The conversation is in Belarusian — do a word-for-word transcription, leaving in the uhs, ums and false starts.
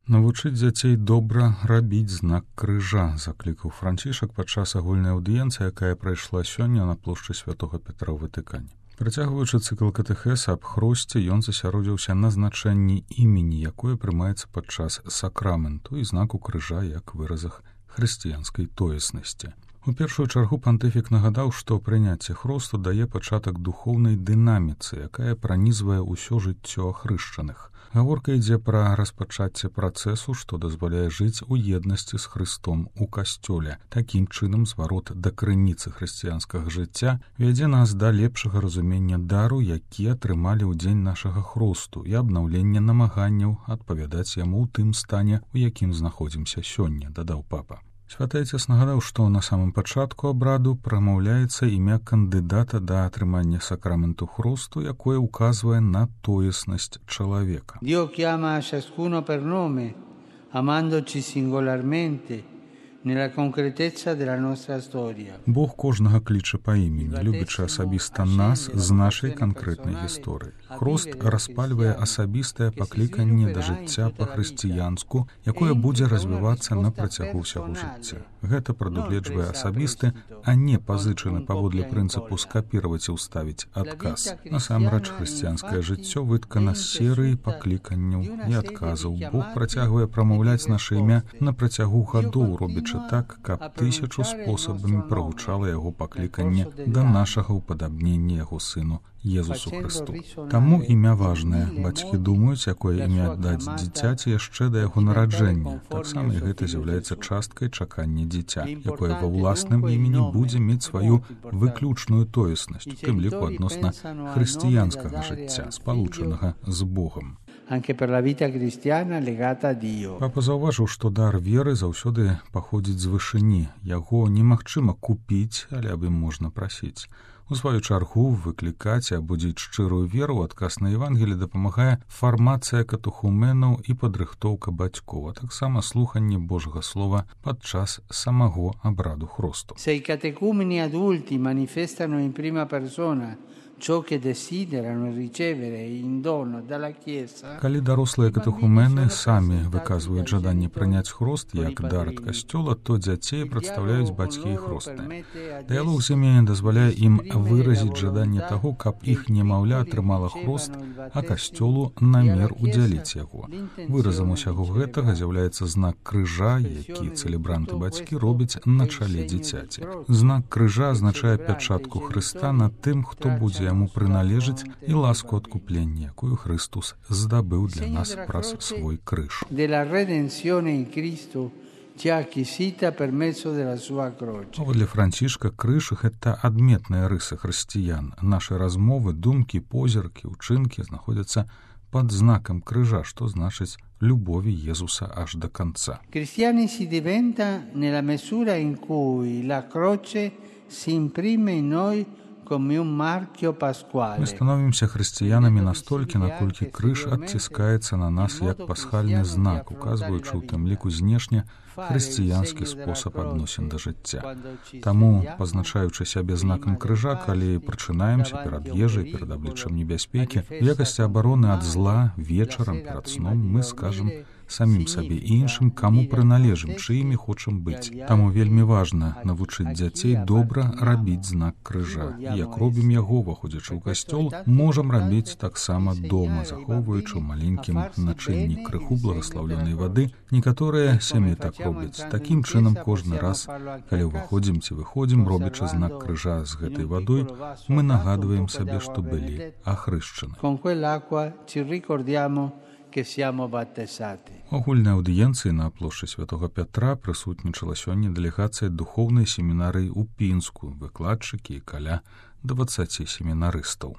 Навучыць дзяцей добра рабіць знак крыжа, заклікаў Францішак падчас агульнай аўдыенцыі, якая прайшла сёння на плошчы Святога Петра ў Ватыкане. Працягваючы цыкл катэхеса аб хросце, ён засяродзіўся на значэнні імені, якое прымаецца падчас сакраменту і знаку крыжа як выразах хрысціянскай тоеснасці. У першую чаргу пантыфік нагадаў, што прыняцце хросту дае пачатак духоўнай дынаміцы, якая пранізвае ўсё жыццё ахрышчаных. Гаворка ідзе пра распачацце працэсу, што дазваляе жыць у еднасці з Хрыстом у касцёле. Такім чынам зварот да крыніцы хрысціянскага жыцця вядзе нас да лепшага разумення дару, які атрымалі ў дзень нашага хросту, і абнаўлення намаганняў адпавядаць яму ў тым стане, у якім знаходзімся сёння, дадаў папа. Святы Отец нагадаў, што на самым пачатку абраду прамаўляецца імя кандыдата да атрымання сакраменту хросту, якое ўказвае на тоеснасць чалавека. Dio chiama ciascuno per nome, amandoci singolarmente nella concretezza della nostra storia. Бог кожнага кліча па імені, любячы асабіста нас з нашай канкрэтнай гісторыі. Хрост распальвае асабістае пакліканне да жыцця па-хрысціянску, якое будзе развівацца на працягу ўсяго жыцця. Гэта прадугледжвае асабісты, а не пазычаны паводле прынцыпу скапіраваць і ўставіць адказ. Насамрэч, хрысціянскае жыццё выткана з серыі пакліканняў і адказаў. Бог працягвае прамаўляць наша імя на працягу гадоў, робячы так, каб тысячу спосабамі прагучала яго пакліканне да нашага ўпадабнення яго сыну Езусу Хрысту. Таму імя важнае. Бацькі думаюць, якое імя аддаць дзіцяці яшчэ да яго нараджэння. Таксама і гэта з'яўляецца часткай чакання дзіця, якое ва ўласным імені будзе мець сваю выключную тоеснасць, у тым ліку адносна хрысціянскага жыцця, спалучанага з Богам. Папа заўважыў, што дар веры заўсёды паходзіць з вышыні. Яго немагчыма купіць, але аб ім можна прасіць. У сваю чаргу выклікаць і абудзіць шчырую веру ў адказ на Евангелі дапамагае фармацыя катэхуменаў і падрыхтоўка бацькоў, а таксама слуханне Божага слова падчас самого абраду хросту. Se i catecumeni adulti manifestano in prima persona ciò che desiderano ricevere in dono dalla Chiesa. Калі дарослыя катэхумены самі выказваюць жаданне прыняць хрост як дар ад касцёла, то дзяцей прадстаўляюць бацькі і хростныя. Дыялог сямейны дазваляе ім выразіць жаданне таго, каб іх немаўля атрымала хрост, а касцёлу намер удзяліць яго. Выразам усяго гэтага з'яўляецца знак крыжа, які цэлебранты бацькі робяць на чале дзіцяці. Знак крыжа азначае пячатку Хрыста над тым, хто будзе яму прыналежыць, і ласку адкуплення, якую Христус здабыў для нас праз свой крыж. Паводле Францішка, крыж — гэта адметныя рысы хрысціян. Нашы размовы, думкі, позіркі, учынкі знаходзяцца пад знакам крыжа, што значыць любові Езуса аж да канца. Cristiani si diventa nella misura in cui la croce si imprime in noi. Мы становімся хрысціянамі настолькі, наколькі крыж адціскаецца на нас як пасхальны знак, указваючы ў тым ліку знешне хрысціянскі спосаб адносін да жыцця. Таму, пазначаючы сябе знакам крыжа, калі прачынаемся перад ежай, перад абліччам небяспекі, у якасці абароны ад зла вечарам перад сном мы скажам самім сабе і іншым, каму прыналежым, чыімі хочам быць. Таму вельмі важна навучыць дзяцей добра рабіць знак крыжа. І як робім яго, уваходзячы ў касцёл, можам рабіць таксама дома, захоўваючы ў маленькім начынні крыху благаслаўлёнай вады. Некаторыя сям'і так робяць. Такім чынам кожны раз, калі ўваходзім ці выходзім, робячы знак крыжа з гэтай вадой, мы нагадваем сабе, што былі ахрышчаны. У агульнай аўдыенцыі на плошчы Святога Пятра прысутнічала сёння дэлегацыя духоўнай семінарыі ў Пінску, выкладчыкі і каля дваццаці семінарыстаў.